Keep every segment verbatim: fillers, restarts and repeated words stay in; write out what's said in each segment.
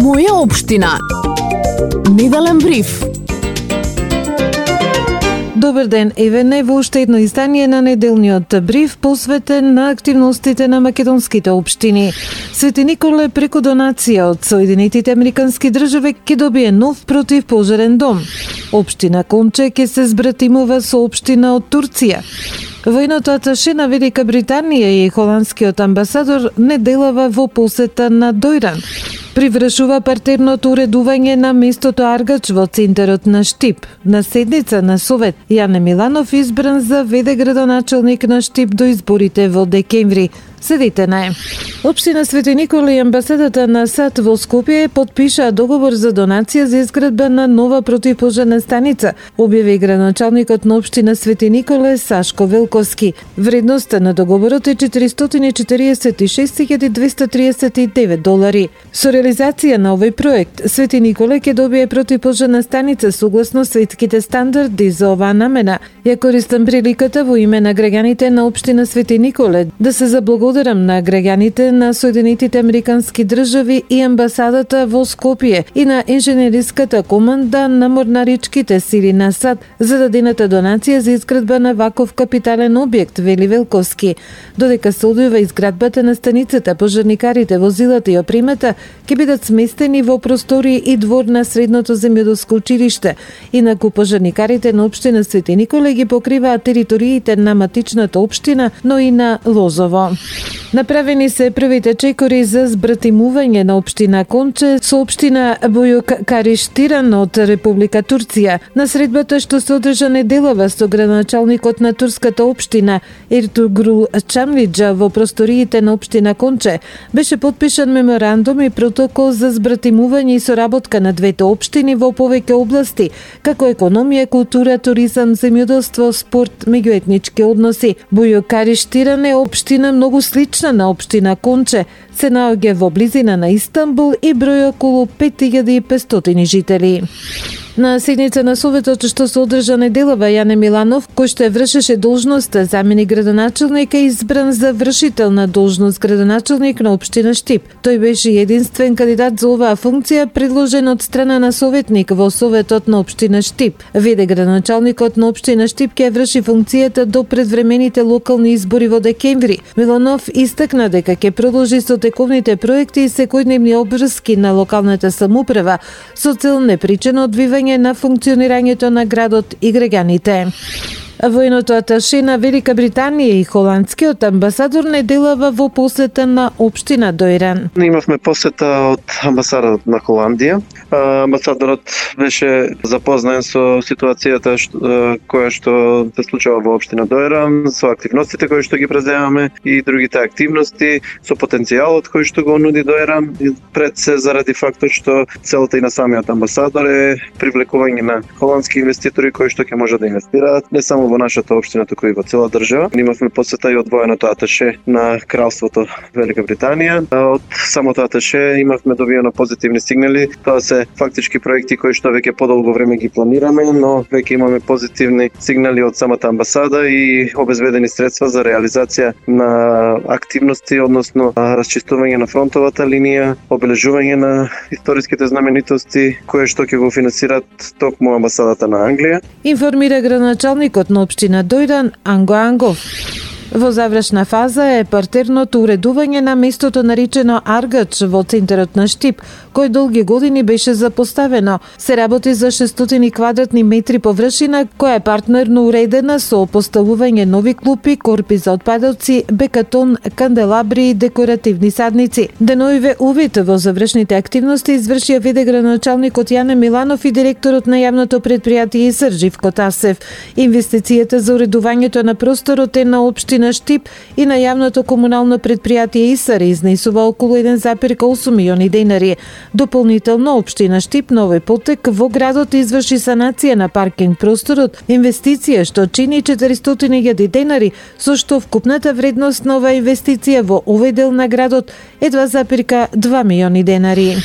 Моја општина. Неделен бриф. Добар ден, еве не во уште едно издание на неделниот бриф посветен на активностите на македонските општини. Свети Николе преку донација од Соединетите Американски држави ќе добие нов противпожарен дом. Општина Конче ќе се збратимува со општина од Турција. Војното аташе на Велика Британија и холандскиот амбасадор не делава во посета на Дојран. Привршува партерното уредување на местото Аргач во центарот на Штип. На седница на Совет, Јане Миланов избран за ве-де градоначелник на Штип до изборите во декември. Седите на е. Општина Свети Никола и амбасадата на САД во Скопје подпишаа договор за донација за изградба на нова противпожарна станица, објави градоначалникот на општина Свети Николе Сашко Велковски. Вредноста на договорот е четиристотини и четириесет и шест илјади двесте триесет и девет долари. Со реализација на овој проект, Свети Николе ќе добие противпожарна станица согласно светските стандарди за оваа намена. Ја користам приликата во име на граѓаните на општина Свети Николе да се заблагодарам на граѓаните на Соединетите Американски држави и амбасадата во Скопје и на инженериската команда на морнаричките сили на САД за дадената донација за изградба на ваков капитален објект, вели Велковски. Додека се одвива изградбата на станицата, пожарникарите, возилата и опремата ќе бидат сместени во простори и двор на средното земјоделско училиште. Инаку пожарникарите на општина Свети Николе ги покриваат териториите на матичната општина, но и на Лозово. Направени се првите чекори за збратимување на општина Конче со општина Бујукариштиран од Република Турција. На средбата што се одржа неделава со градоначалникот на турската општина Ертугрул Чамвиџа во просториите на општина Конче беше подпишан меморандум и протокол за збратимување и соработка на двете општини во повеќе области, како економија, култура, туризам, земјоделство, спорт, меѓуетнички односи. Бујукариштиран е општина многу слична на општина Конче, се наоѓа во близина на Истанбул и број околу пет илјади и петстотини жители. На седница на Советот што се одржа неделава, Јане Миланов, кој што ја вршеше должноста заменик градоначелник, е избран за вршител на должност градоначелник на општина Штип. Тој беше единствен кандидат за оваа функција, предложен од страна на советник во Советот на општина Штип. Ве-де градоначалникот на општина Штип ќе врши функцијата до предвремените локални избори во декември. Миланов истакна дека ќе продолжи со тековните проекти и секојдневни обврски на локалната самоуправа со цел непречено одвивање на функционирањето на градот и граѓаните. Војното аташе на Велика Британија и холандскиот амбасадор неделава во посета на општина Дојран. Имавме посета од амбасадорот на Холандија. Амбасадорот беше запознаен со ситуацијата што, која што се случува во општина Дојран, со активностите кои што ги преземаме и другите активности, со потенцијалот кој што го нуди Дојран, пред се заради фактот што целта и на самиот амбасадор е привлекување на холандски инвеститори кои што ќе можат да инвестираат не само во нашата општина, туку и во цела држава. Имавме посета и од военото аташе на Кралството Велика Британија. Од самото аташе имавме добиено позитивни сигнали. Тоа се фактички проекти кои што веќе подолго време ги планираме, но веќе имаме позитивни сигнали од самата амбасада и обезбедени средства за реализација на активности, односно расчистување на фронтовата линија, обележување на историските знаменитости кои што ќе го финансираат токму амбасадата на Англија. Информира градоначалникот на општина Дојран Анго Ангов. Во завршна фаза е партерното уредување на местото наречено Аргач во центарот на Штип, кој долги години беше запоставено. Се работи за шестстотини квадратни метри површина, која е партнерно уредена со поставување нови клупи, корпи за отпадоци, бекатон, канделабри и декоративни садници. Деноиве увид во завршните активности извршија ве-де градоначалникот Јане Миланов и директорот на јавното предпријатие ИСР Живко Тасев. Инвестицијата за уредувањето на просторот е на општина Штип и на јавното комунално предпријатие ИСР изнесува околу еден зарез осум милиони денари. Дополнително, општина Штип на овој потек во градот изврши санација на паркинг просторот, инвестиција што чини четиристотини илјади денари, со што вкупната вредност на оваа инвестиција во овој дел на градот е два зарез два милиони денари.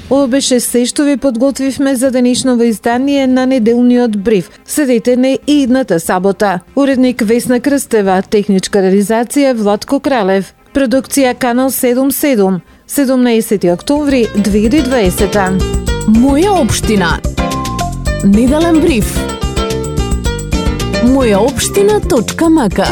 Ова беше се што ви подготвивме за денешново издание на неделниот бриф. Следете не и идната сабота. Уредник Весна Крстева, техничка реализација Владко Кралев, продукција Канал седумдесет и седум, седумнаесети октомври две илјади и дваесета. Моја општина. Неделен бриф. моја општина точка мака